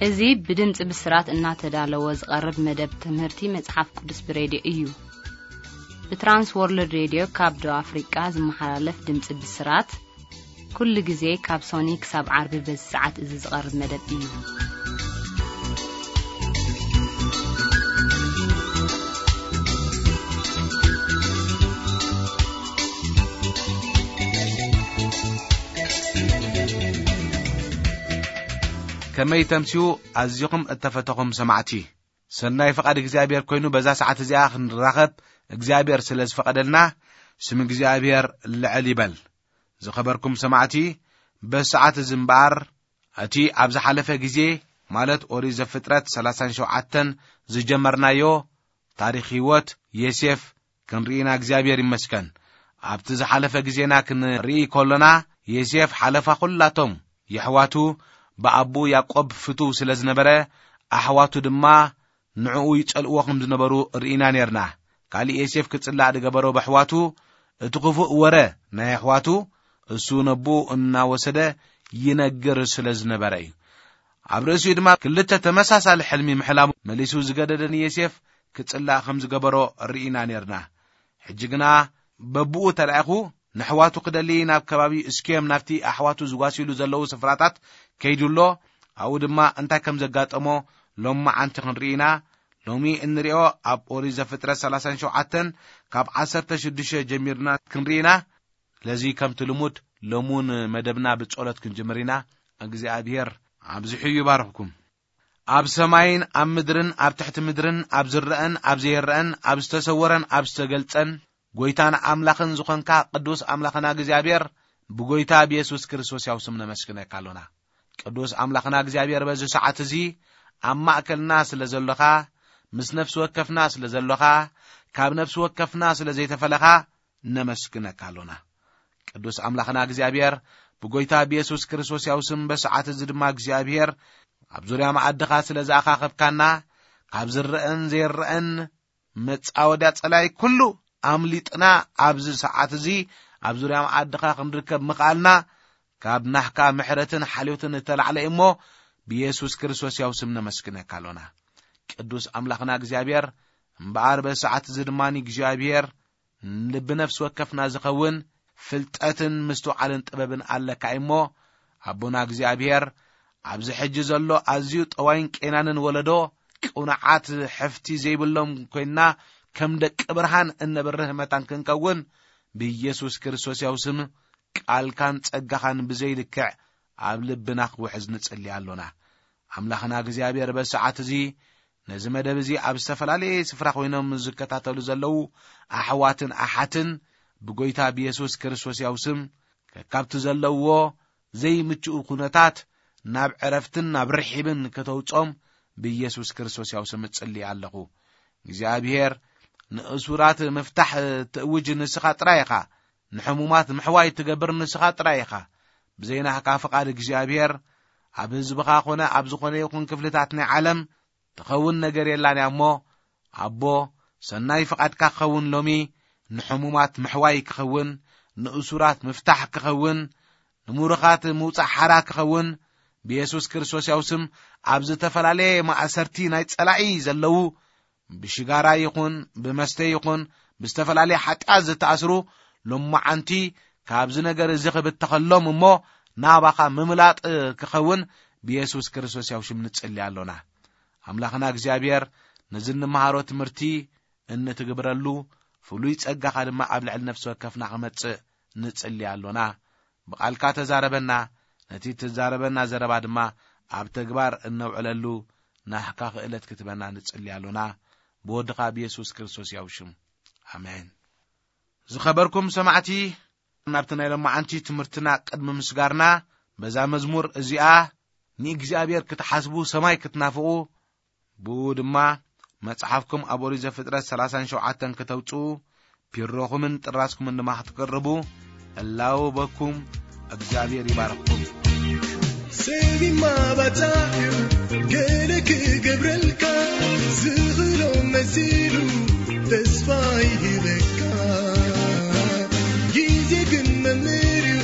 እዚ ብድምፂ ብስራት እናተዳለወ ዝቐርብ መደብ ትምህርቲ መጽሓፍ ቅዱስ ብሬድዮ እዩ። ብትራንስ ወርልድ ሬድዮ ካብ ደቡብ ኣፍሪቃ ዝመሓላለፍ ድምፂ ብስራት፣ ኩሉ ግዜ ካብ ሶኒ ክሳብ ዓርቢ በዚ ሰዓት እዚ ዝቐርብ መደብ እዩ። ከመይ ተምስዩ ኣዚኹም እተፈተኹም ሰማዕቲ። ሰናይ ፍቓድ እግዚኣብሔር ኮይኑ በዛ ሰዓት እዚኣ ክንራኸብ እግዚኣብሔር ስለ ዝፈቐደልና፣ ስም እግዚኣብሔር ልዕል ይበል። ዝኸበርኩም ሰማዕቲ፣ በዚ ሰዓት እዚ እምበኣር፣ እቲ ኣብ ዝሓለፈ ግዜ፣ ማለት ኦሪት ዘፍጥረት ሰላሳን ሸውዓተን ዝጀመርናዮ ታሪኽ ህይወት ዮሴፍ ክንርኢና እግዚኣብሔር ይመስገን። ኣብቲ ዝሓለፈ ግዜና ክንርኢ ከሎና፣ ዮሴፍ ሓለፋ ኩላቶም የሕዋቱ ብኣቦኡ ያዕቆብ ፍቱው ስለ ዝነበረ፣ ኣሕዋቱ ድማ ንዕኡ ይጸልእዎ ከም ዝነበሩ ርኢና ኔርና። ካልእ ዮሴፍ ክጽላእ ዝገበሮ ብኣሕዋቱ፣ እቲ ክፉእ ወረ ናይ ኣሕዋቱ፣ እሱ ነቦኡ እናወሰደ ይነግር ስለ ዝነበረ እዩ። ኣብ ርእሲኡ ድማ ክልተ ተመሳሳሊ ሕልሚ ምሕላሙ መሊሱ ዝገደደ ንዮሴፍ ክጽላእ ከም ዝገበሮ ርኢና ኔርና። ሕጂ ግና በብኡ ተላኢኹ ንኣሕዋቱ ክደሊ ናብ ከባቢ እስኪዮም ናብቲ ኣሕዋቱ ዝጓስዩሉ ዘለዉ ስፍራታት ከይዱ ኣሎ። ኣብኡ ድማ እንታይ ከም ዘጋጠሞ ሎማዓንቲ ክንርኢ ኢና። ሎሚ እንሪኦ ኣብ ኦሪት ዘፍጥረት ሰላሳን ሸውዓተን ካብ ዓሰርተ ሽዱሽተ ጀሚርና ክንርኢ ኢና። ስለዚ ከምቲ ልሙድ ሎሙን መደብና ብጸሎት ክንጅምር ኢና። እግዚኣብሔር ኣብዚሑ ይባርኽኩም። ኣብ ሰማይን ኣብ ምድርን ኣብ ትሕቲ ምድርን ኣብ ዝረአን ኣብ ዘይረአን ኣብ ዝተሰወረን ኣብ ዝተገልጸን ጎይታን ኣምላኽን ዝኾንካ ቅዱስ ኣምላኽና እግዚኣብሔር ብጎይታ ብየሱስ ክርስቶስ ያው ስም ነመስግነካ ኣሎና። ቅዱስ ኣምላኽና እግዚኣብሔር በዚ ሰዓት እዚ ኣብ ማእከልና ስለ ዘሎኻ፣ ምስ ነፍሲ ወከፍና ስለ ዘሎኻ፣ ካብ ነፍሲ ወከፍና ስለ ዘይተፈለኻ ነመስግነካ ኣሎና። ቅዱስ ኣምላኽና እግዚኣብሔር ብጎይታ ብየሱስ ክርስቶስ ያው ስም በሰዓት እዚ ድማ እግዚኣብሔር ኣብ ዙርያ መኣድኻ ስለ ዝኣኻኸብካና ካብ ዝረአን ዘይረአን መጻወድያ ጸላይ ኩሉ ኣምሊጥና ኣብዚ ሰዓት እዚ ኣብ ዙርያ መኣድኻ ክንርከብ ምኽኣልና ካብ ናህካ ምሕረትን ሓልዮትን እተላዕለ እሞ ብየሱስ ክርስቶስ ያው ስም ነመስግነካ ኣሎና። ቅዱስ ኣምላኽና እግዚኣብሔር እምበኣር በሰዓት እዚ ድማ እግዚኣብሔር ልቢ ነፍሲ ወከፍና ዝኸውን ፍልጠትን ምስትውዓልን ጥበብን ኣለካ እሞ ኣቦና እግዚኣብሔር ኣብዚ ሕጂ ዘሎ ኣዝዩ ጠዋይን ቄናንን ወለዶ ቅኑዓት ሕፍቲ ዘይብሎም ኮይንና ከም ደቂ ብርሃን እነብርህ መታን ክንከውን ብኢየሱስ ክርስቶስ ያው ስም ቃልካን ጸጋኻን ብዘይልክዕ ኣብ ልብና ክውሕዝ ንጽሊ ኣሎና። ኣምላኽና እግዚኣብሔር በሰዓት እዚ ነዚ መደብ እዚ ኣብ ዝተፈላለየ ስፍራ ኮይኖም ዝከታተሉ ዘለዉ ኣሕዋትን ኣሓትን ብጎይታ ብየሱስ ክርስቶስ ያው ስም ከካብቲ ዘለውዎ ዘይምችኡ ኩነታት ናብ ዕረፍትን ናብ ርሒብን ከተውጾም ብኢየሱስ ክርስቶስ ያው ስም እጽሊ ኣለኹ። እግዚኣብሔር ንእሱራት ምፍታሕ ትእውጅ ንስኻ ጥራይ ኢኻ። ንሕሙማት ምሕዋይ ትገብር ንስኻ ጥራይ ኢኻ። ብዘይ ናህካ ፍቓድ እግዚኣብሔር ኣብ ህዝብኻ ኾነ ኣብ ዝኾነ ይኹን ክፍልታት ናይ ዓለም ትኸውን ነገር የላን እያ እሞ፣ ኣቦ፣ ሰናይ ፍቓድካ ክኸውን ሎሚ ንሕሙማት ምሕዋይ ክኸውን፣ ንእሱራት ምፍታሕ ክኸውን፣ ንምሩኻት ምውጻእ ሓራ ክኸውን፣ ብየሱስ ክርስቶስ ያው ስም ኣብ ዝተፈላለየ ማእሰርቲ ናይ ጸላኢ ዘለዉ ብሽጋራ ይኹን ብመስተ ይኹን ብዝተፈላለየ ሓጢኣት ዝተኣስሩ ሎማዓንቲ ካብዚ ነገር እዚ ክብተኸሎም እሞ ናባኻ ምምላጥ ክኸውን ብየሱስ ክርስቶስ ያው ሽም ንጽሊ ኣሎና። ኣምላኽና እግዚኣብሔር ነዚ እንመሃሮ ትምህርቲ እንትግብረሉ ፍሉይ ጸጋኻ ድማ ኣብ ልዕሊ ነፍሲ ወከፍና ክመጽእ ንጽሊ ኣሎና። ብቓልካ ተዛረበና፣ ነቲ ትዛረበና ዘረባ ድማ ኣብ ተግባር እነውዕለሉ ናህካ ክእለት ክትበና ንጽሊ ኣሎና። ብወድኻ ብየሱስ ክርስቶስ ያው ሽም። ኣሜን። ዝኸበርኩም ሰማዕቲ፣ ናብቲ ናይ ሎማዓንቲ ትምህርትና ቅድሚ ምስጋርና፣ በዛ መዝሙር እዚኣ ንእግዚኣብሔር ክትሓስቡ፣ ሰማይ ክትናፍቑ፣ ብኡ ድማ መጽሓፍኩም ኣብ ኦሪት ዘፍጥረት ሰላሳን ሸውዓተን ክተውጽኡ፣ ፒሮኹምን ጥራዝኩምን ድማ ክትቅርቡ እላወበኩም። እግዚኣብሔር ይባርኽኩም። ሰብ ይማባጻዕ እዩ፣ ገለ ክገብረልካ ዝኽእሎ መሲሉ ተስፋ ይህበካ። ግዜ ግን መምህር እዩ፣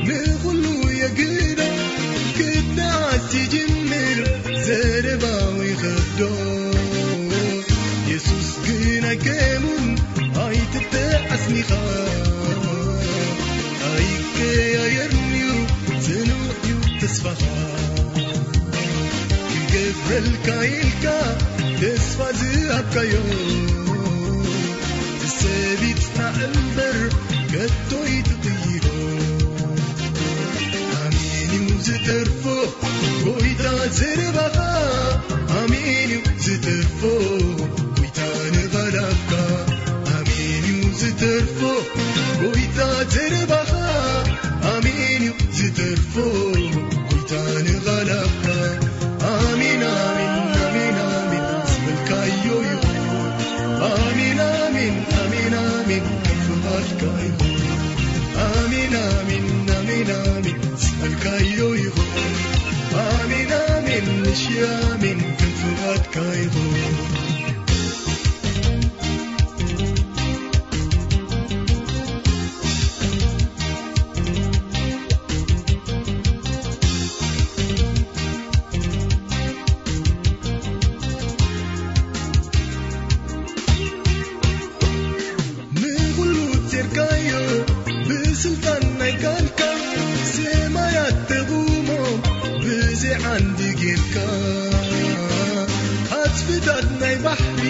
ንኹሉ የግዶ ክትነኣስ ይጅምር። ኢልካ ኢልካ ተስፋ ዝሃብካዮ፣ ትሰቢት እምበር ከቶ ይትቕይሮ። ኣሜን እዩ ዝተርፎ ጎይታ ዘረባኻ፣ ኣሜን እዩ ዝተርፎ ጎይታ ንቓላትካ። ኣሜን እዩ ዝተርፎ ጎይታ ዘረባኻ፣ ኣሜን እዩ ዝተርፎ ጎይታ ንቓላትካ። ኣሜን፣ ኣሜን፣ ኣሜን፣ ኣሜን ዝበልካዮ ይኹን። ኣሜን፣ ኣሜን፣ ኣሜን፣ ኣሜን ከም ፍቓድካ ይኹን። ኣሜን፣ ኣሜን፣ ኣሜን፣ ኣሜን ዝበልካዮ ይኹን። ኣሜን፣ ኣሜን፣ ንሺ ኣሜን ከም ፍቓድካ ይኹን። ንኹሉ ቴርካዮ ብስልጣን ናይ ቃልካ፣ ሰማያት ተቑሞ ብዘይ ዓንዲ ጌርካ፣ ኣጽፍታት ናይ ባሕሪ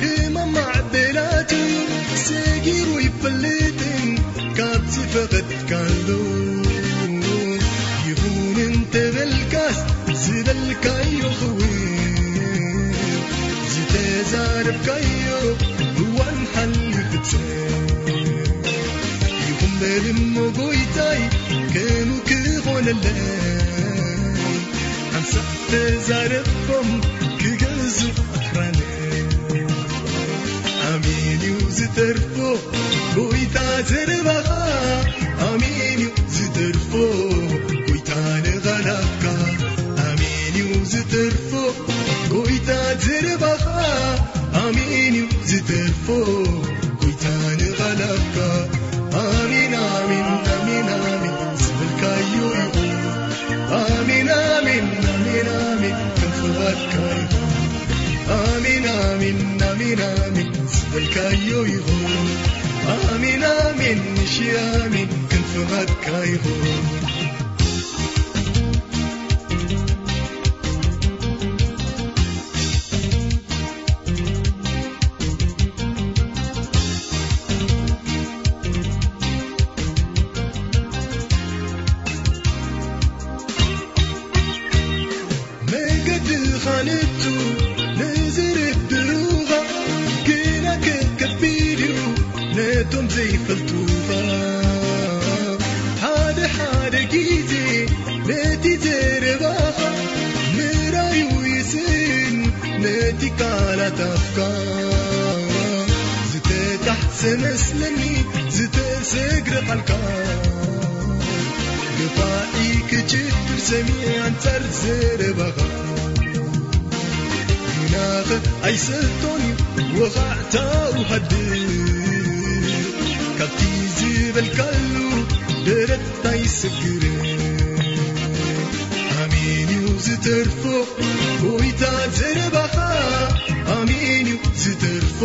ህማም ማዕበላቱ ሰጊሩ ይፈልጥን ካብዚ ፈቐድካሉ ይኹን እንተበልካስ ዝበልካዮ ክውን ዝተዛረብካዮ እዋን ሓልዩ ፍጽም ይኹን በል እሞ ጎይታይ ከምኡ ክኾነለይ ሓንሳእ ተዛረቦም ክገዝእ ኣኽራን። ኣሜን እዩ ዝተርፎ ጎይታ ዘረባኻ፣ ኣሜን እዩ ዝተርፎ ጎይታ ንቓላትካ፣ ኣሜን እዩ ዝተርፎ ጎይታ ዘረባኻ፣ ኣሜን እዩ ዝተርፎ ጎይታ ንቓላትካ። ኣሜን፣ ኣሜን፣ ኣሜን፣ ኣሜን ዝበልካዮ ይኹን። ኣሜን፣ ኣሜን፣ ኣሜን፣ ኣሜን ከም ፍቓድካ ይኹን። ኣሜን፣ ኣሜን፣ ኣሜን፣ ኣሜን ዝበልካዮ ይኹን። ኣሜን፣ ኣሜን፣ ንሺ ኣሜን ከም ፍቓድካ ይኹን። መገድኻ ንቱ ንዝርድኡኻ፣ ግና ከከቢድ እዩ ነቶም ዘይፈልጡኻ። ሓደ ሓደ ግዜ ነቲ ዘረባኻ ምራዩ ይስእን ነቲ ቃላት ኣፍካ። ዝተጣሕሰ መስለኒ ዝተሰግረ ቃልካ፣ ገባኢ ክጭፍር ሰሚዐ ኣንጻር ዘረባኻ። ግናኸ ኣይሰልጦን እዩ ወኻዕታኡ ሃድእ፣ ካብቲ ዝበልካሉ ደረት ኣይስግርን። ኣሜን እዩ ዝተርፎ ጎይታ ዘረባኻ፣ ኣሜን እዩ ዝተርፎ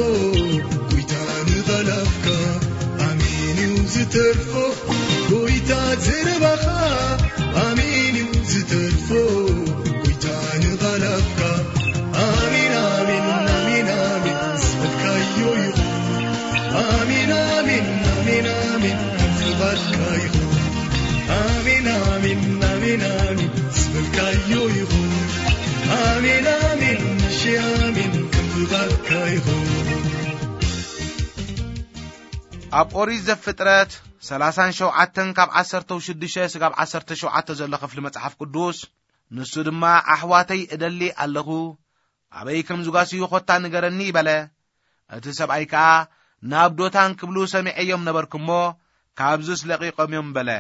ጎይታ ንቓላትካ፣ ኣሜን እዩ ዝተርፎ ጎይታ ዘረባኻ፣ ኣሜን እዩ ዝተርፎ ጎይታ ንቓላትካ። ኣሜን፣ ኣሜን፣ ኣሜን፣ ኣሜን ዝበልካዮ ይኹን። ኣሜን፣ ኣሜን፣ ኣሜን፣ ኣሜን ከም ፍቓድካ ይኹን። ኣሜን፣ ኣሜን፣ ኣሜን፣ ኣሜን ዝበልካዮ ይኹን። ኣሜን፣ ኣሜን፣ ንሺ ኣሜን ከም ፍቓድካ ይኹን። ኣብ ኦሪት ዘፍጥረት ሰላሳን ሸውዓተን ካብ ዓሰርተው ሽዱሽተ ስጋብ ዓሰርተ ሸውዓተ ዘሎ ክፍሊ መጽሓፍ ቅዱስ፣ ንሱ ድማ፣ ኣሕዋተይ እደሊ ኣለኹ፣ ኣበይ ከም ዝጓስዩ ኾታ ንገረኒ፣ በለ። እቲ ሰብኣይ ከኣ፣ ናብ ዶታን ክብሉ ሰሚዐዮም ነበርኩ እሞ፣ ካብዝስ ለቒቖም እዮም፣ በለ።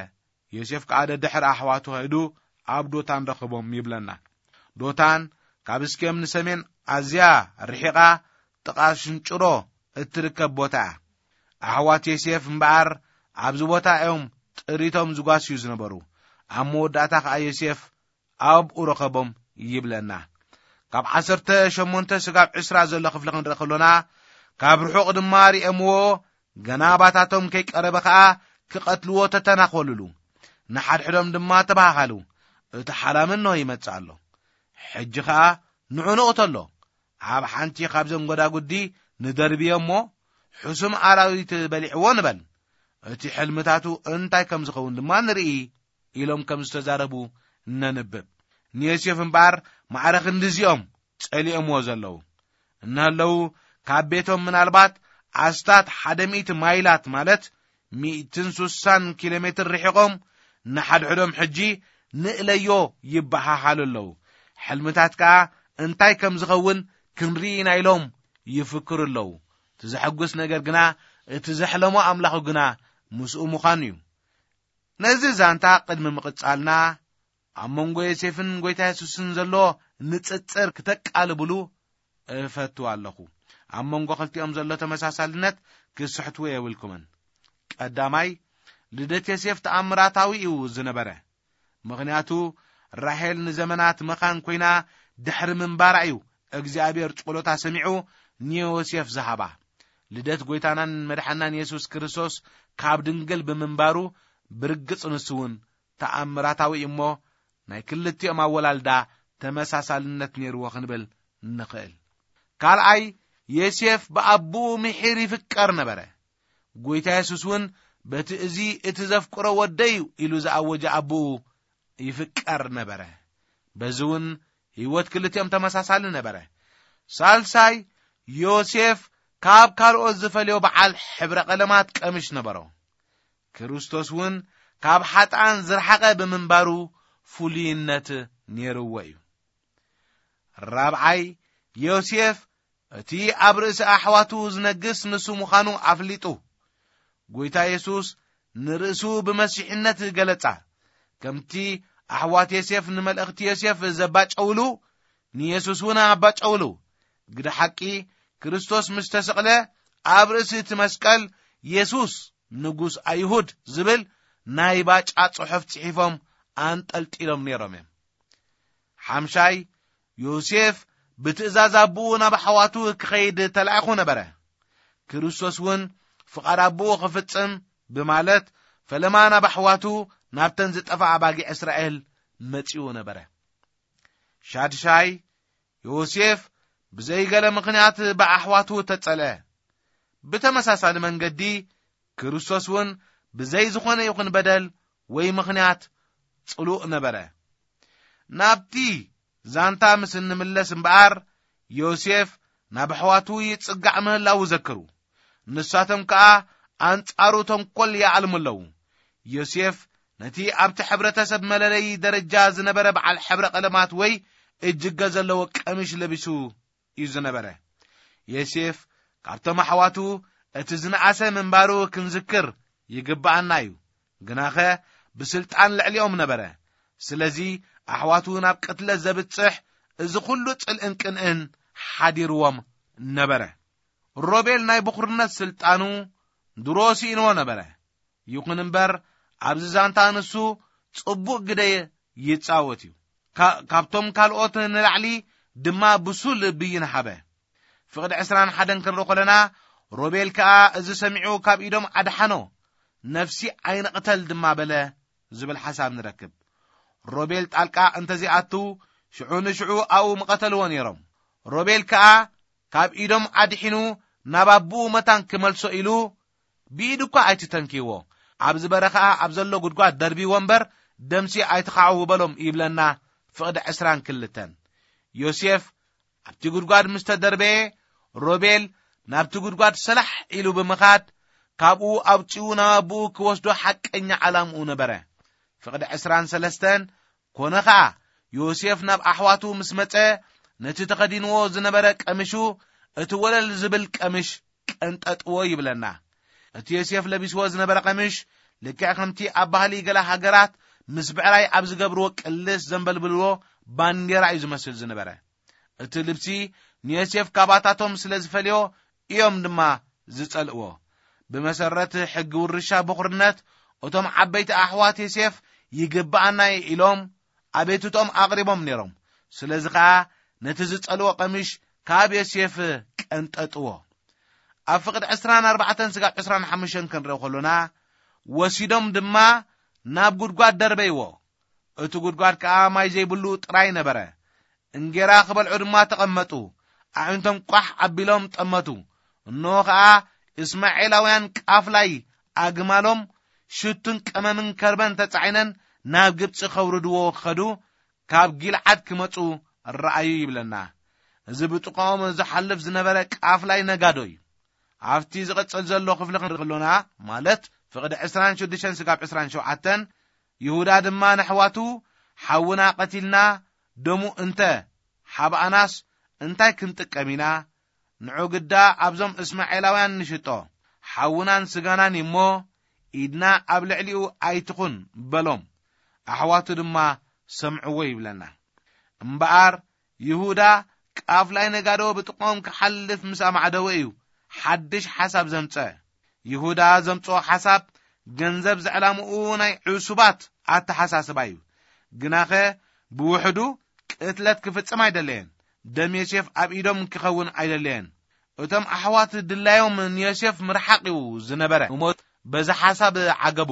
ዮሴፍ ከኣ ደድሕሪ ኣሕዋቱ ኸይዱ ኣብ ዶታን ረኸቦም ይብለና። ዶታን ካብ እስኬም ንሰሜን ኣዝያ ርሒቓ ጥቓ ሽንጭሮ እትርከብ ቦታ እያ። ኣሕዋት ዮሴፍ እምበኣር ኣብዚ ቦታ እዮም ጥሪቶም ዝጓስዩ ዝነበሩ። ኣብ መወዳእታ ከኣ ዮሴፍ ኣብኡ ረኸቦም ይብለና። ካብ ዓሰርተ ሸሞንተ ስጋብ ዕስራ ዘሎ ክፍሊ ክንርኢ ከሎና፣ ካብ ርሑቕ ድማ ሪኦምዎ፣ ገና ኣባታቶም ከይቀረበ ኸኣ ክቐትልዎ ተተናኾሉሉ። ንሓድሕዶም ድማ ተባሃሃሉ፣ እቲ ሓላም እንሆ ይመጽእ ኣሎ። ሕጂ ኸኣ ንዑ ንቕተሎ። ኣብ ሓንቲ ካብዘን ጎዳጉዲ ንደርብዮ እሞ፣ ሕሱም ኣራዊት በሊዕዎ ንበል። እቲ ሕልምታቱ እንታይ ከም ዝኸውን ድማ ንርኢ፣ ኢሎም ከም ዝተዛረቡ ነንብብ። ንዮሴፍ እምበኣር ማዕረ ክንድዚኦም ጸሊኦምዎ ዘለዉ እንሃለዉ፣ ካብ ቤቶም ምናልባት ኣስታት ሓደ ሚእቲ ማይላት፣ ማለት ሚእትን ስሳን ኪሎ ሜትር ርሒቖም፣ ንሓድሕዶም ሕጂ ንእለዮ ይበሃሃሉ ኣለዉ። ሕልምታት ከኣ እንታይ ከም ዝኸውን ክንርኢ ኢና ኢሎም ይፍክሩ ኣለዉ። እቲ ዘሐጉስ ነገር ግና፣ እቲ ዘሕለሞ ኣምላኹ ግና ምስኡ ምዃኑ እዩ። ነዚ ዛንታ ቅድሚ ምቕጻልና፣ ኣብ መንጎ ዮሴፍን ጐይታ የሱስን ዘሎ ንጽጽር ክተቃልብሉ እፈቱ ኣለኹ። ኣብ መንጎ ክልቲኦም ዘሎ ተመሳሳልነት ክስሕትዎ የብልኩምን። ቀዳማይ፣ ልደት ዮሴፍ ተኣምራታዊ እዩ ዝነበረ። ምኽንያቱ፣ ራሄል ንዘመናት መኻን ኮይና ድሕሪ ምንባራ እዩ እግዚኣብሔር ጸሎታ ሰሚዑ ንዮሴፍ ዝሃባ። ልደት ጐይታናን መድሓናን የሱስ ክርስቶስ ካብ ድንግል ብምንባሩ፣ ብርግጽ ንሱ እውን ተኣምራታዊ እዩ እሞ፣ ናይ ክልቲኦም ኣወላልዳ ተመሳሳልነት ነይርዎ ክንብል ንኽእል። ካልኣይ፣ ዮሴፍ ብኣቦኡ ምሒር ይፍቀር ነበረ። ጐይታ የሱስ እውን በቲ እዚ እቲ ዘፍቅሮ ወደይ እዩ ኢሉ ዝኣወጀ ኣቦኡ ይፍቀር ነበረ። በዚ እውን ህይወት ክልቲኦም ተመሳሳሊ ነበረ። ሳልሳይ፣ ዮሴፍ ካብ ካልኦት ዝፈልዮ በዓል ሕብረ ቀለማት ቀምሽ ነበሮ። ክርስቶስ እውን ካብ ሓጥኣን ዝረሓቐ ብምንባሩ ፍሉይነት ነይርዎ እዩ። ራብዓይ፣ ዮሴፍ እቲ ኣብ ርእሲ ኣሕዋቱ ዝነግስ ንሱ ምዃኑ ኣፍሊጡ። ጐይታ የሱስ ንርእሱ ብመሲሕነት ገለጻ። ከምቲ ኣሕዋት ዮሴፍ ንመልእኽቲ ዮሴፍ ዘባጨውሉ፣ ንየሱስ እውን ኣባጨውሉ። ግደ ሓቂ፣ ክርስቶስ ምስ ተሰቕለ፣ ኣብ ርእሲ እቲ መስቀል፣ "የሱስ ንጉስ ኣይሁድ" ዝብል ናይ ባጫ ጽሑፍ ጽሒፎም ኣንጠልጢሎም ነይሮም እዮም። ሓምሻይ፣ ዮሴፍ ብትእዛዝ ኣቦኡ ናብ ኣሕዋቱ ክኸይድ ተላኢኹ ነበረ። ክርስቶስ እውን ፍቓድ ኣቦኡ ክፍጽም ብማለት፣ ፈለማ ናብ ኣሕዋቱ፣ ናብተን ዝጠፍኣ ኣባጊዕ እስራኤል መጺኡ ነበረ። ሻድሻይ፣ ዮሴፍ ብዘይ ገለ ምኽንያት ብኣሕዋቱ ተጸልአ። ብተመሳሳሊ መንገዲ፣ ክርስቶስ እውን ብዘይ ዝኾነ ይኹን በደል ወይ ምኽንያት ጽሉእ ነበረ። ናብቲ ዛንታ ምስ እንምለስ እምበኣር፣ ዮሴፍ ናብ ኣሕዋቱ ይጽጋዕ ምህላዉ ዘክሩ። ንሳቶም ከኣ ኣንጻሩ ተንኮል ይኣልሙ ኣለዉ። ዮሴፍ ነቲ ኣብቲ ሕብረተሰብ መለለዪ ደረጃ ዝነበረ በዓል ሕብረ ቀለማት ወይ እጅገ ዘለዎ ቀሚሽ ለቢሱ እዩ ዝነበረ። ዮሴፍ ካብቶም ኣሕዋቱ እቲ ዝነኣሰ ምንባሩ ክንዝክር ይግብኣና እዩ። ግናኸ ብስልጣን ልዕሊኦም ነበረ። ስለዚ ኣሕዋቱ ናብ ቅትለት ዘብጽሕ እዚ ኹሉ ጽልእን ቅንእን ሓዲርዎም ነበረ። ሮቤል ናይ ብኹርነት ስልጣኑ ድሮ ስኢንዎ ነበረ። ይኹን እምበር፣ ኣብዚ ዛንታ ንሱ ጽቡቕ ግደ ይጻወት እዩ። ካ-፣ ካብቶም ካልኦት ንላዕሊ ድማ ብሱል ብይን ሃበ። ፍቕዲ ዕስራን ሓደን ክንርኢ ከለና፣ ሮቤል ከኣ እዚ ሰሚዑ ካብ ኢዶም ኣድሓኖ፣ "ነፍሲ ኣይንቕተል ድማ በለ" ዝብል ሓሳብ ንረክብ። ሮቤል ጣልቃ እንተዘይኣቱ፣ ሽዑ ንሽዑ ኣብኡ ምቐተልዎ ነይሮም። ሮቤል ከኣ ካብ ኢዶም ኣድሒኑ ናብ ኣቦኡ መታን ክመልሶ ኢሉ፣ ብኢዱ እኳ ኣይትተንክይዎ፣ ኣብ ዝበረ ኸኣ ኣብ ዘሎ ጉድጓድ ደርብይዎ እምበር፣ ደምሲ ኣይትኻዕዉ በሎም ይብለና ፍቕዲ ዕስራን ክልተን። ዮሴፍ ኣብቲ ጉድጓድ ምስ ተደርበየ፣ ሮቤል ናብቲ ጉድጓድ ሰላሕ ኢሉ ብምኻድ፣ ካብኡ ኣውጺኡ ናብ ኣቦኡ ክወስዶ ሓቀኛ ዓላምኡ ነበረ። ፍቕዲ ዕስራን ሰለስተን፣ ኮነ ኸኣ፣ ዮሴፍ ናብ ኣሕዋቱ ምስ መጸ፣ ነቲ ተኸዲንዎ ዝነበረ ቀምሹ፣ እቲ ወለል ዝብል ቀምሽ ቀንጠጥዎ ይብለና። እቲ ዮሴፍ ለቢስዎ ዝነበረ ቀምሽ፣ ልክዕ ከምቲ ኣብ ባህሊ ገለ ሃገራት ምስ ብዕራይ ኣብ ዝገብርዎ ቅልስ ዘንበልብልዎ ባንዴራ እዩ ዝመስል ዝነበረ። እቲ ልብሲ ንዮሴፍ ካባታቶም ስለ ዝፈልዮ እዮም ድማ ዝጸልእዎ። ብመሰረት ሕጊ ውርሻ በኹርነት፣ እቶም ዓበይቲ ኣሕዋት ዮሴፍ ይግብኣና እዩ ኢሎም ኣቤቱቶም ኣቕሪቦም ነይሮም። ስለዚ ኸኣ ነቲ ዝጸልዎ ቀሚሽ ካብ ዮሴፍ ቀንጠጥዎ። ኣብ ፍቕዲ ዕስራን ኣርባዕተን ስጋብ ዕስራን ሓሙሽተን ክንርኢ ከሎና፣ ወሲዶም ድማ ናብ ጉድጓድ ደርበይዎ። እቲ ጉድጓድ ከኣ ማይ ዘይብሉ ጥራይ ነበረ። እንጌራ ክበልዑ ድማ ተቐመጡ። ኣዒንቶም ቋሕ ኣቢሎም ጠመቱ። እንሆ ኸኣ እስማኤላውያን ቃፍላይ ኣግማሎም ሽቱን ቀመምን ከርበን ተጻዒነን ናብ ግብጺ ከውርድዎ ከዱ፣ ካብ ጊልዓድ ክመጹ ረኣዩ ይብለና። እዚ ብጥቕኦም ዝሓልፍ ዝነበረ ቃፍላይ ነጋዶ እዩ። ኣብቲ ዝቕጽል ዘሎ ክፍሊ ክንርኢ ከሎና፣ ማለት ፍቕዲ ዕስራን ሽዱሽተን ስጋብ ዕስራን ሸውዓተን፣ ይሁዳ ድማ ነሕዋቱ፣ ሓውና ቀቲልና፣ ደሙ እንተ ሓብኣናስ እንታይ ክንጥቀም ኢና? ንዑ ግዳ ኣብዞም እስማኤላውያን ንሽጦ፣ ሓውናን ስጋናን እሞ፣ ኢድና ኣብ ልዕሊኡ ኣይትኹን በሎም። ኣሕዋቱ ድማ ሰምዕዎ ይብለና። እምበኣር ይሁዳ ቃፍላይ ነጋዶ ብጥቕኦም ክሓልፍ ምስ ኣማዕደወ እዩ ሓድሽ ሓሳብ ዘምጸ። ይሁዳ ዘምጽኦ ሓሳብ ገንዘብ ዘዕላምኡ ናይ ዕሱባት ኣተሓሳስባ እዩ። ግናኸ ብውሕዱ ቅትለት ክፍጽም ኣይደለየን። ደም ዮሴፍ ኣብ ኢዶም ክኸውን ኣይደለየን። እቶም ኣሕዋት ድላዮም ንዮሴፍ ምርሓቕ እዩ ዝነበረ። እሞ በዚ ሓሳብ ዓገቡ።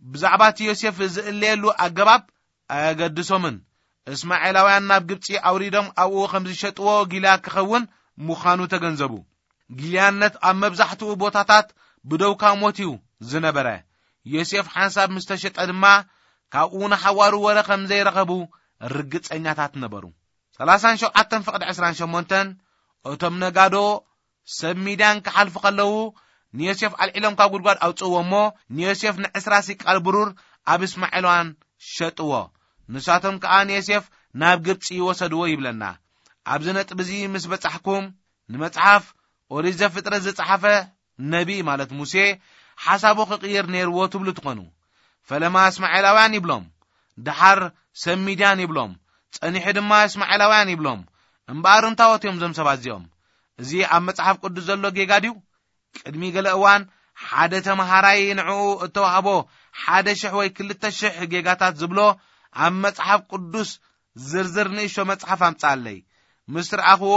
ብዛዕባ እቲ ዮሴፍ ዝእለየሉ ኣገባብ ኣየገድሶምን። እስማኤላውያን ናብ ግብጺ ኣውሪዶም ኣብኡ ከም ዝሸጥዎ ጊልያ ክኸውን ምዃኑ ተገንዘቡ። ጊልያነት ኣብ መብዛሕትኡ ቦታታት ብደውካ ሞት እዩ ዝነበረ። ዮሴፍ ሓንሳብ ምስ ተሸጠ ድማ ካብኡ ንሓዋሩ ወረ ከም ዘይረኸቡ ርግጸኛታት ነበሩ። ሰላሳን ሸውዓተን ፍቕዲ ዕስራን ሸሞንተን፣ እቶም ነጋዶ ሰብ ሚድያን ክሓልፉ ከለዉ፣ ንዮሴፍ ኣልዒሎም ካብ ጉድጓድ ኣውጽእዎ እሞ፣ ንዮሴፍ ንዕስራ ሲቃል ብሩር ኣብ እስማኤላውያን ሸጥዎ። ንሳቶም ከኣ ንዮሴፍ ናብ ግብጺ ወሰድዎ ይብለና። ኣብዚ ነጥቢ እዚ ምስ በጻሕኩም፣ ንመጽሓፍ ኦሪት ዘፍጥረት ዝጸሓፈ ነቢ፣ ማለት ሙሴ፣ ሓሳቡ ክቕይር ነይርዎ ትብሉ ትኾኑ። ፈለማ እስማኤላውያን ይብሎም፣ ደሓር ሰብ ሚድያን ይብሎም፣ ጸኒሑ ድማ እስማኤላውያን ይብሎም። እምበኣር እንታዎት እዮም እዞም ሰባት እዚኦም? እዚ ኣብ መጽሓፍ ቅዱስ ዘሎ ጌጋ ድዩ? ቅድሚ ገለ እዋን ሓደ ተመሃራይ ንዕኡ እተዋህቦ ሓደ ሽሕ ወይ ክልተ ሽሕ ጌጋታት ዝብሎ ኣብ መጽሓፍ ቅዱስ ዝርዝር ንእሽቶ መጽሓፍ ኣምጽኣለይ። ምስ ረኣኽዎ፣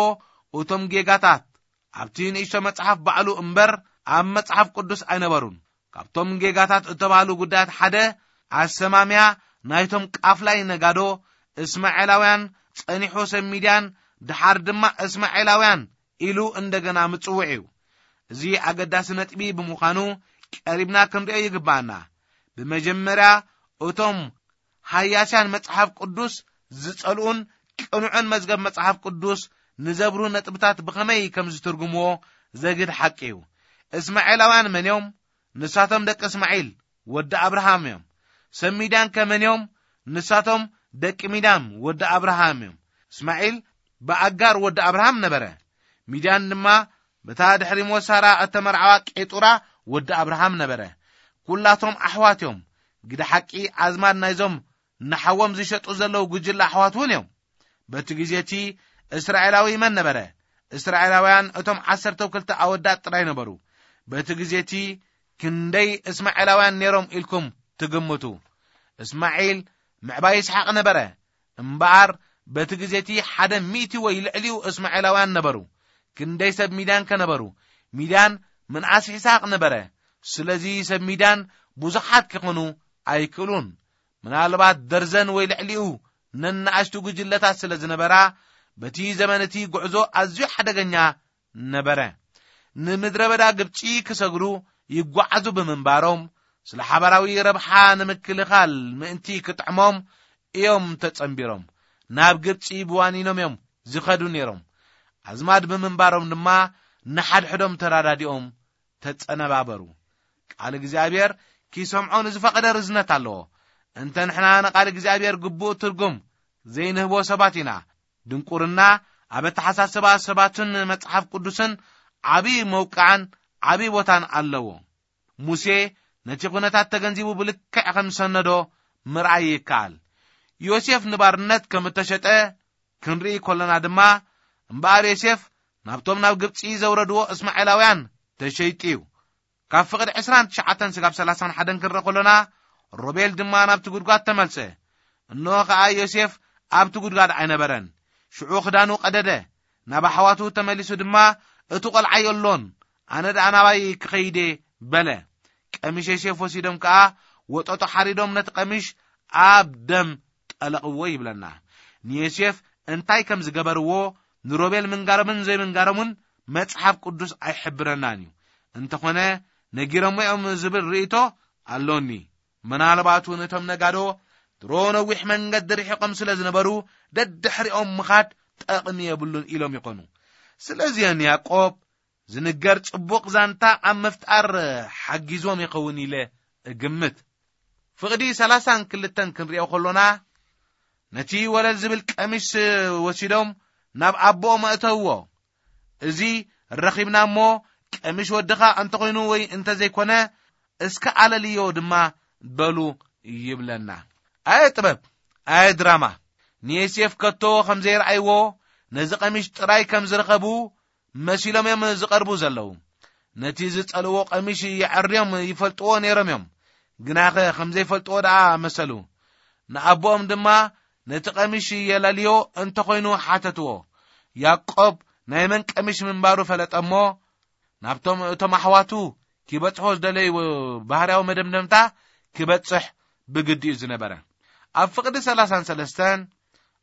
እቶም ጌጋታት ኣብቲ ንእሽቶ መጽሓፍ ባዕሉ እምበር ኣብ መጽሓፍ ቅዱስ ኣይነበሩን። ካብቶም ጌጋታት እተባህሉ ጉዳያት ሓደ፣ ኣሰማምያ ናይቶም ቃፍላይ ነጋዶ እስማኤላውያን፣ ጸኒሑ ሰብ ሚድያን፣ ደሓር ድማ እስማኤላውያን ኢሉ እንደገና ምጽውዕ እዩ። እዚ ኣገዳሲ ነጥቢ ብምዃኑ ቀሪብና ክንሪኦ ይግባኣና። ብመጀመርያ እቶም ሃያስያን መጽሓፍ ቅዱስ ዝጸልኡን ቅኑዕን መዝገብ መጽሓፍ ቅዱስ ንዘብሩ ነጥብታት ብኸመይ ከም ዝትርጉምዎ ዘግድ ሓቂ እዩ። እስማኤላውያን መን እዮም? ንሳቶም ደቂ እስማዒል ወዲ ኣብርሃም እዮም። ሰብ ሚድያን ከ መን እዮም? ንሳቶም ደቂ ሚድያም ወዲ ኣብርሃም እዮም። እስማዒል ብኣጋር ወዲ ኣብርሃም ነበረ። ሚድያን ድማ በታ ድሕሪ ሞት ሳራ እተመርዓዋ ቄጡራ ወዲ ኣብርሃም ነበረ። ኩላቶም ኣሕዋት እዮም። ግደ ሓቂ ኣዝማድ ናይዞም ንሓዎም ዝሸጡ ዘለዉ ጉጅለ ኣሕዋት እውን እዮም። በቲ ግዜ እቲ እስራኤላዊ መን ነበረ? እስራኤላውያን እቶም ዓሰርተ ክልተ ኣወዳት ጥራይ ነበሩ። በቲ ግዜ እቲ ክንደይ እስማኤላውያን ነይሮም ኢልኩም ትግምቱ? እስማዒል ምዕባይ ይስሓቕ ነበረ። እምበኣር በቲ ግዜ እቲ ሓደ ሚእቲ ወይ ልዕሊኡ እስማኤላውያን ነበሩ። ክንደይ ሰብ ሚድያን ከ ነበሩ? ሚድያን ምንኣስ ይስሓቕ ነበረ። ስለዚ ሰብ ሚድያን ብዙሓት ክኾኑ ኣይክእሉን። ምናልባት ደርዘን ወይ ልዕሊኡ ነናእሽቱ ጉጅለታት ስለ ዝነበራ፣ በቲ ዘመን እቲ ጉዕዞ ኣዝዩ ሓደገኛ ነበረ። ንምድረ በዳ ግብጺ ክሰግሩ ይጓዓዙ ብምንባሮም፣ ስለ ሓባራዊ ረብሓ ንምክልኻል ምእንቲ ክጥዕሞም እዮም ተጸንቢሮም። ናብ ግብጺ ብዋኒኖም እዮም ዝኸዱ ነይሮም። ኣዝማድ ብምንባሮም ድማ ንሓድሕዶም ተራዳዲኦም ተጸነባበሩ። ቃል እግዚኣብሔር ኪሰምዖ ንዝፈቐደ ርዝነት ኣለዎ። እንተ ንሕና ንቃል እግዚኣብሔር ግቡእ ትርጉም ዘይንህቦ ሰባት ኢና። ድንቁርና ኣብ ኣተሓሳስባ ሰባትን መጽሓፍ ቅዱስን ዓቢ መውቃዕን ዓቢ ቦታን ኣለዎ። ሙሴ ነቲ ኩነታት ተገንዚቡ ብልክዕ ከም ዝሰነዶ ምርኣይ ይከኣል። ዮሴፍ ንባርነት ከም እተሸጠ ክንርኢ ከሎና ድማ፣ እምበኣር ዮሴፍ ናብቶም ናብ ግብጺ ዘውረድዎ እስማኤላውያን ተሸይጡ እዩ። ካብ ፍቕዲ ዕስራን ትሽዓተን ስጋብ ሰላሳን ሓደን ክንርኢ ከሎና፣ ሮቤል ድማ ናብቲ ጉድጓድ ተመልሰ። እንሆ ኸኣ ዮሴፍ ኣብቲ ጉድጓድ ኣይነበረን። ሽዑ ክዳኑ ቀደደ። ናብ ኣሕዋቱ ተመሊሱ ድማ፣ "እቲ ቈልዓ የሎን፣ ኣነ ደኣ ናባይ ክኸይድ እየ" በለ። ቀሚሽ ዮሴፍ ወሲዶም ከኣ ወጠጦ ሓሪዶም ነቲ ቀሚሽ ኣብ ደም ጠለቕዎ ይብለና። ንዮሴፍ እንታይ ከም ዝገበርዎ ንሮቤል ምንጋሮምን ዘይምንጋሮምን መጽሓፍ ቅዱስ ኣይሕብረናን እዩ። እንተኾነ ነጊሮሞ እዮም ዝብል ርእይቶ ኣሎኒ። ምናልባት እውን እቶም ነጋዶ ድሮ ነዊሕ መንገዲ ርሒቖም ስለ ዝነበሩ ደድሕሪኦም ምኻድ ጠቕሚ የብሉን ኢሎም ይኾኑ። ስለዚአን ያዕቆብ ዝንገር ጽቡቕ ዛንታ ኣብ ምፍጣር ሓጊዞም ይኸውን ኢለ እግምት። ፍቕዲ ሰላሳን ክልተን ክንሪኦ ከሎና ነቲ ወለል ዝብል ቀሚሽ ወሲዶም ናብ ኣቦኦም ኣእተውዎ። እዚ ረኺብና እሞ ቀሚሽ ወድኻ እንተኾይኑ ወይ እንተዘይኮነ እስከ ኣለልዮ ድማ በሉ ይብለና። ኣየ ጥበብ፣ ኣየ ድራማ። ንዮሴፍ ከቶ ከም ዘይረኣይዎ ነዚ ቀሚሽ ጥራይ ከም ዝረኸቡ መሲሎም እዮም ዝቐርቡ ዘለዉ። ነቲ ዝጸልዎ ቀሚሽ የዐርዮም ይፈልጥዎ ነይሮም እዮም። ግናኸ ከም ዘይፈልጥዎ ደኣ መሰሉ። ንኣቦኦም ድማ ነቲ ቀሚሽ የላልዮ እንተኾይኑ ሓተትዎ። ያዕቆብ ናይ መን ቀሚሽ ምንባሩ ፈለጠ እሞ ናብቶም እቶም ኣሕዋቱ ኪበጽሖ ዝደለዩ ባህርያዊ መደምደምታ ክበጽሕ ብግዲ እዩ ዝነበረ። ኣብ ፍቕዲ ሰላሳን ሰለስተን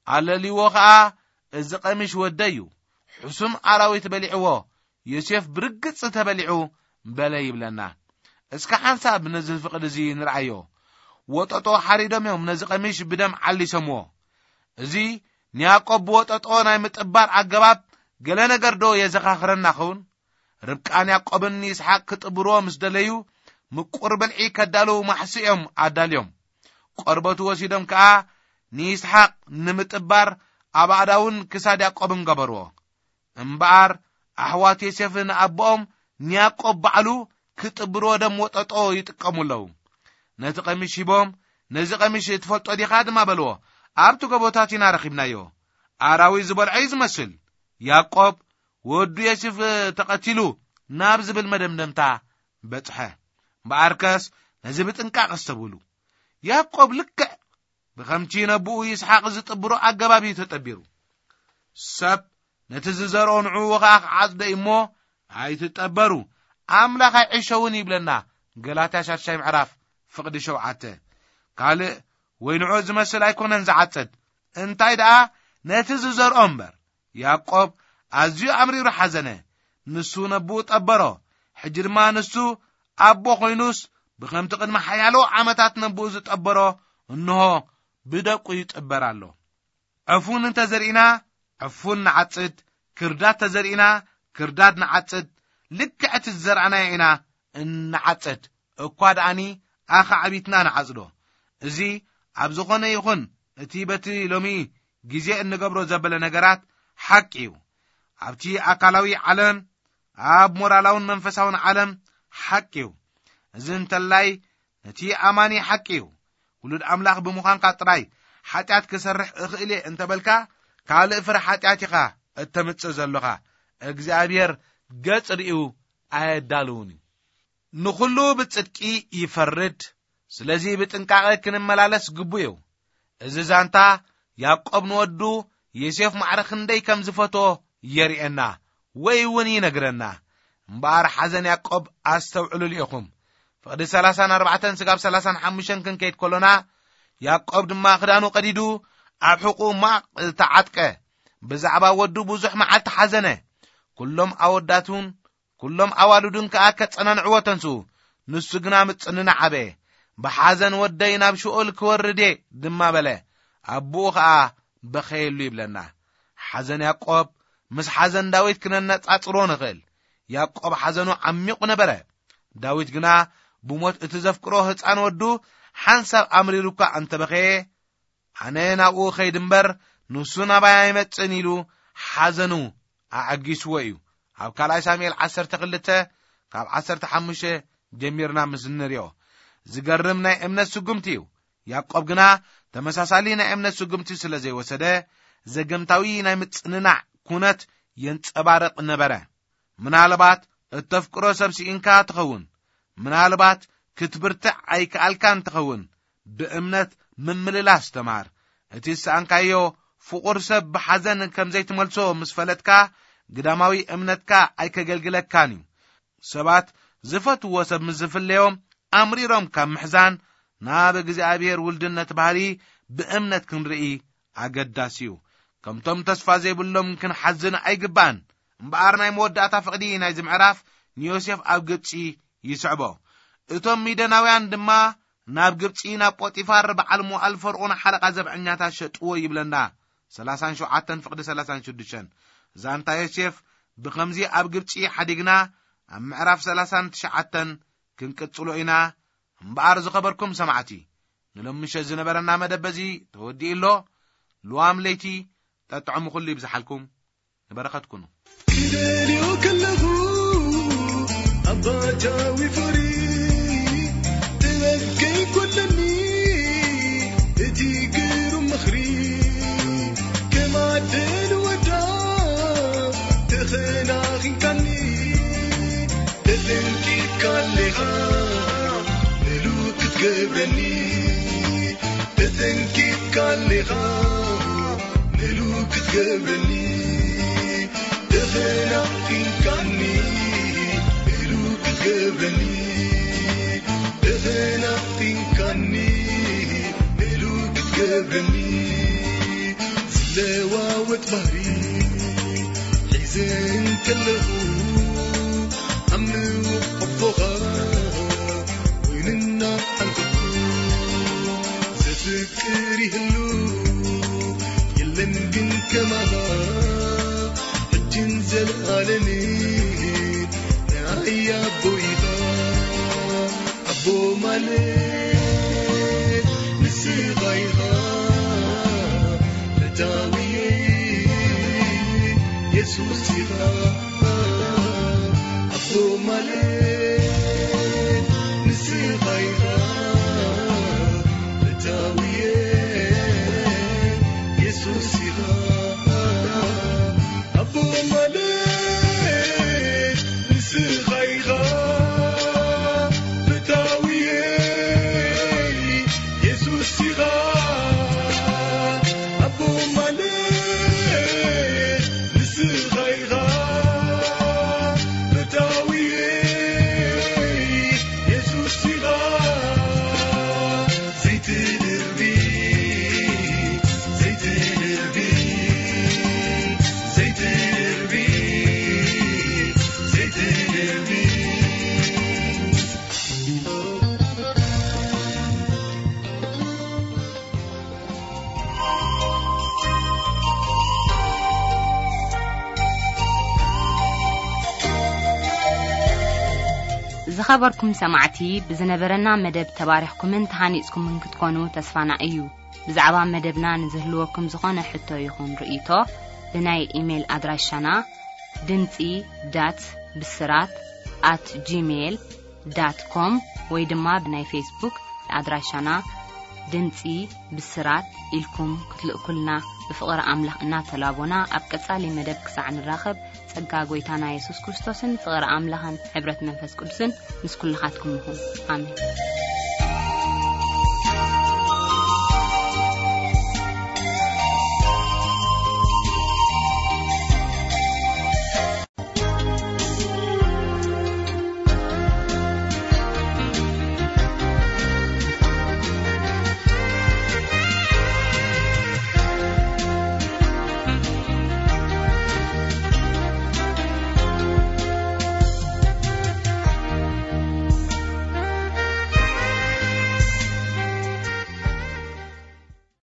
ኣለልይዎ ኸኣ፣ እዚ ቀሚሽ ወደይ እዩ፣ ሕሱም ኣራዊት በሊዕዎ፣ ዮሴፍ ብርግጽ ተበሊዑ በለ ይብለና። እስከ ሓንሳብ ነዚ ፍቕዲ እዚ ንርኣዮ። ወጠጦ ሓሪዶም እዮም ነዚ ቀሚሽ ብደም ዓሊሶምዎ። እዚ ንያዕቆብ ብወጠጦ ናይ ምጥባር ኣገባብ ገለ ነገር ዶ የዘኻኽረና ኸውን? ርብቃን ያዕቆብን ንይስሓቅ ክጥብርዎ ምስ ደለዩ ምቁር ብልዒ ከዳልዉ ማሕሲ እዮም ኣዳልዮም። ቆርበቱ ወሲዶም ከኣ ንይስሓቅ ንምጥባር ኣብ ኣእዳውን ክሳድ ያዕቆብን ገበርዎ። እምበኣር ኣሕዋት ዮሴፍ ንኣቦኦም ንያዕቆብ ባዕሉ ክጥብርዎ ደም ወጠጦ ይጥቀሙ ኣለዉ። ነቲ ቀሚሽ ሂቦም፣ "ነዚ ቀሚሽ ትፈልጦ ዲኻ?" ድማ በልዎ። "ኣብቲ ጎቦታት ኢና ረኺብናዮ። ኣራዊት ዝበልዖ እዩ ዝመስል። ያዕቆብ ወዱ ዮሴፍ ተቐቲሉ" ናብ ዝብል መደምደምታ በጽሐ። እምበኣርከስ ነዚ ብጥንቃቕ ኣስተብህሉ። ያዕቆብ ልክዕ ብኸምቲ ነብኡ ይስሓቅ ዝጥብሮ ኣገባብ እዩ ተጠቢሩ። ሰብ ነቲ ዝዘርኦ ንዕኡ ኸኣ ክዓጽዶ እዩ እሞ፣ "ኣይትጠበሩ፣ ኣምላኽ ኣይዕሸውን" ይብለና። ገላትያ ሻድሻይ ምዕራፍ ፍቕዲ ሸውዓተ። ካልእ ወይ ንዕኡ ዝመስል ኣይኮነን ዝዓጽድ፣ እንታይ ደኣ ነቲ ዝዘርኦ እምበር። ያዕቆብ ኣዝዩ ኣምሪሩ ሓዘነ። ንሱ ነብኡ ጠበሮ። ሕጂ ድማ ንሱ ኣቦ ኮይኑስ፣ ብኸምቲ ቅድሚ ሓያሎ ዓመታት ነብኡ ዝጠበሮ፣ እንሆ ብደቁ ይጥበር ኣሎ። ዕፉን እንተ ዘርኢና፣ ዕፉን ንዓጽድ፣ ክርዳድ ተዘርኢና፣ ክርዳድ ንዓጽድ። ልክዕ እቲ ዝዘርኣናዮ ኢና እንዓጽድ። እኳ ደኣኒ ኣኻዕቢትና ንዓጽዶ። እዚ ኣብ ዝኾነ ይኹን እቲ በቲ ሎሚ ግዜ እንገብሮ ዘበለ ነገራት ሓቂ እዩ። ኣብቲ ኣካላዊ ዓለም፣ ኣብ ሞራላውን መንፈሳውን ዓለም ሓቂ እዩ። እዚ እንተላይ ነቲ ኣማኒ ሓቂ እዩ። ውሉድ ኣምላኽ ብምዃንካ ጥራይ ሓጢኣት ክሰርሕ እኽእል እየ እንተበልካ፣ ካልእ ፍረ ሓጢኣት ኢኻ እተምጽእ ዘሎኻ። እግዚኣብሔር ገጽ ርእዩ ኣየዳልውን እዩ። ንኹሉ ብጽድቂ ይፈርድ። ስለዚ ብጥንቃቐ ክንመላለስ ግቡእ እዩ። እዚ ዛንታ ያዕቆብ ንወዱ ዮሴፍ ማዕረ ክንደይ ከም ዝፈትዎ የርእየና ወይ እውን ይነግረና። እምበኣር ሓዘን ያዕቆብ ኣስተውዕሉሉ ኢኹም። ፍቕዲ ሰላሳን ኣርባዕተን ስጋብ ሰላሳን ሓሙሽተን ክንከይድ ከሎና፣ ያዕቆብ ድማ ክዳኑ ቀዲዱ ኣብ ሕቑኡ ማቕ ተዓጥቀ። ብዛዕባ ወዱ ብዙሕ መዓልቲ ሓዘነ። ኩሎም ኣወዳቱን ኩሎም ኣዋልዱን ከኣ ከጸናንዕዎ ተንስኡ። ንሱ ግና ምጽንናዕ ኣበየ። "ብሓዘን ወደይ ናብ ሽኦል ክወርድ እየ" ድማ በለ። ኣቦኡ ኸኣ በኸየሉ ይብለና። ሓዘን ያዕቆብ ምስ ሓዘን ዳዊት ክነነጻጽሮ ንኽእል። ያዕቆብ ሓዘኑ ዓሚቑ ነበረ። ዳዊት ግና ብሞት እቲ ዘፍቅሮ ህጻን ወዱ ሓንሳብ ኣምሪሩ እኳ እንተበኸየ፣ "ኣነ ናብኡ ኸይድ እምበር ንሱ ናባይ ኣይመጽእን" ኢሉ ሓዘኑ ኣዐጊስዎ እዩ። ኣብ ካልኣይ ሳሙኤል ዓሰርተ ክልተ ካብ ዓሰርተ ሓሙሽተ ጀሚርና ምስ እንሪኦ፣ ዝገርም ናይ እምነት ስጉምቲ እዩ። ያዕቆብ ግና ተመሳሳሊ ናይ እምነት ስጉምቲ ስለ ዘይወሰደ፣ ዘገምታዊ ናይ ምጽንናዕ ኩነት የንጸባርቕ ነበረ። ምናልባት እተፍቅሮ ሰብ ስኢንካ ትኸውን። ምናልባት ክትብርትዕ ኣይከኣልካን ትኸውን። ብእምነት ምምልላስ ተማር። እቲ ዝሰኣንካዮ ፍቑር ሰብ ብሓዘን ከም ዘይትመልሶ ምስ ፈለጥካ፣ ግዳማዊ እምነትካ ኣይከገልግለካን እዩ። ሰባት ዝፈትዎ ሰብ ምስ ዝፍለዮም፣ ኣምሪሮም ካብ ምሕዛን ናብ እግዚኣብሔር ውልድነት ባህሪ ብእምነት ክንርኢ ኣገዳሲ እዩ። ከምቶም ተስፋ ዘይብሎም ክንሓዝን ኣይግባን። እምበኣር ናይ መወዳእታ ፍቕዲ ናይዚ ምዕራፍ ንዮሴፍ ኣብ ግብጺ ይስዕቦ። እቶም ሚደናውያን ድማ ናብ ግብጺ ናብ ጶጢፋር በዓል መዋእል ፈርኦን ሓለቓ ዘብዐኛታት ሸጥዎ ይብለና። ሰላሳን ሸውዓተን ፍቕዲ ሰላሳን ሽዱሽተን። ዛንታ ዮሴፍ ብኸምዚ ኣብ ግብጺ ሓዲግና ኣብ ምዕራፍ ሰላሳን ትሽዓተን ክንቅጽሎ ኢና። እምበኣር ዝኸበርኩም ሰማዕቲ፣ ንሎሚ ምሸት ዝነበረና መደብ በዚ ተወዲኡ ኣሎ። ልዋም ለይቲ ጠጥዕሙ ኩሉ ይብዝሓልኩም። ንበረኸት ኩኑ። ክደልዮ ከለኹ ኣባታዊ ፍቕሪ ጥበብ ከይጎድለኒ እቲ ግሩም ምኽሪ ከም ኣደ ንወዳ ተኸናኺንካኒ ተጠንቂቕካ ኣለኻ ምሉእ ክትገብረኒ ተጠንቂቕካ ኣለኻ ምሉእ ክትገብረኒ ተኸናኺንካኒ ምሉእ ክትገብረኒ ተኸናኺንካኒ ምሉእ ክትገብረኒ ዝለዋወጥ ባህሪ ሒዘ እንከለኹ ኣብ ምውቕ ኣቦኻ ወይንና ሓንኩኩ ዘፍቅር ይህሉ የለን ግን ከማኻ ሕጅን ዘለኣለምን ናይ ኣቦ ኢኻ ኣቦ ማለት ንስኻ ኢኻ ፈታውየ የሱስ ኢኻ ኣቦ ማለት ንስኻ ኢኻ ፈታውየ የሱስ ኢኻ ኣቦ ማለት ንስኻ ኢኻ ፈታውየ የሱስ ኢኻ ኣቦ ማለት ንስኻ ኢኻ ፈታውየ የሱስ ኢኻ ዘይትድርቢ ዘይትድርቢ ዘይትድርቢ ዘይትድርቢ ዝኸበርኩም ሰማዕቲ፣ ብዝነበረና መደብ ተባሪኽኩምን ተሃኒጽኩምን ክትኮኑ ተስፋና እዩ። ብዛዕባ መደብና ንዝህልወኩም ዝኾነ ሕቶ ይኹን ርእይቶ፣ ብናይ ኢሜይል ኣድራሻና ድምጺ ዳት ብስራት ኣት ጂሜይል ዳት ኮም ወይ ድማ ብናይ ፌስቡክ ኣድራሻና ድምጺ ብስራት ኢልኩም ክትልእኩልና ብፍቕሪ ኣምላኽ እናተላቦና፣ ኣብ ቀጻሊ መደብ ክሳዕ ንራኸብ፣ ጸጋ ጐይታና የሱስ ክርስቶስን ፍቕሪ ኣምላኽን ሕብረት መንፈስ ቅዱስን ምስ ኩልኻትኩም ይኹን። ኣሜን።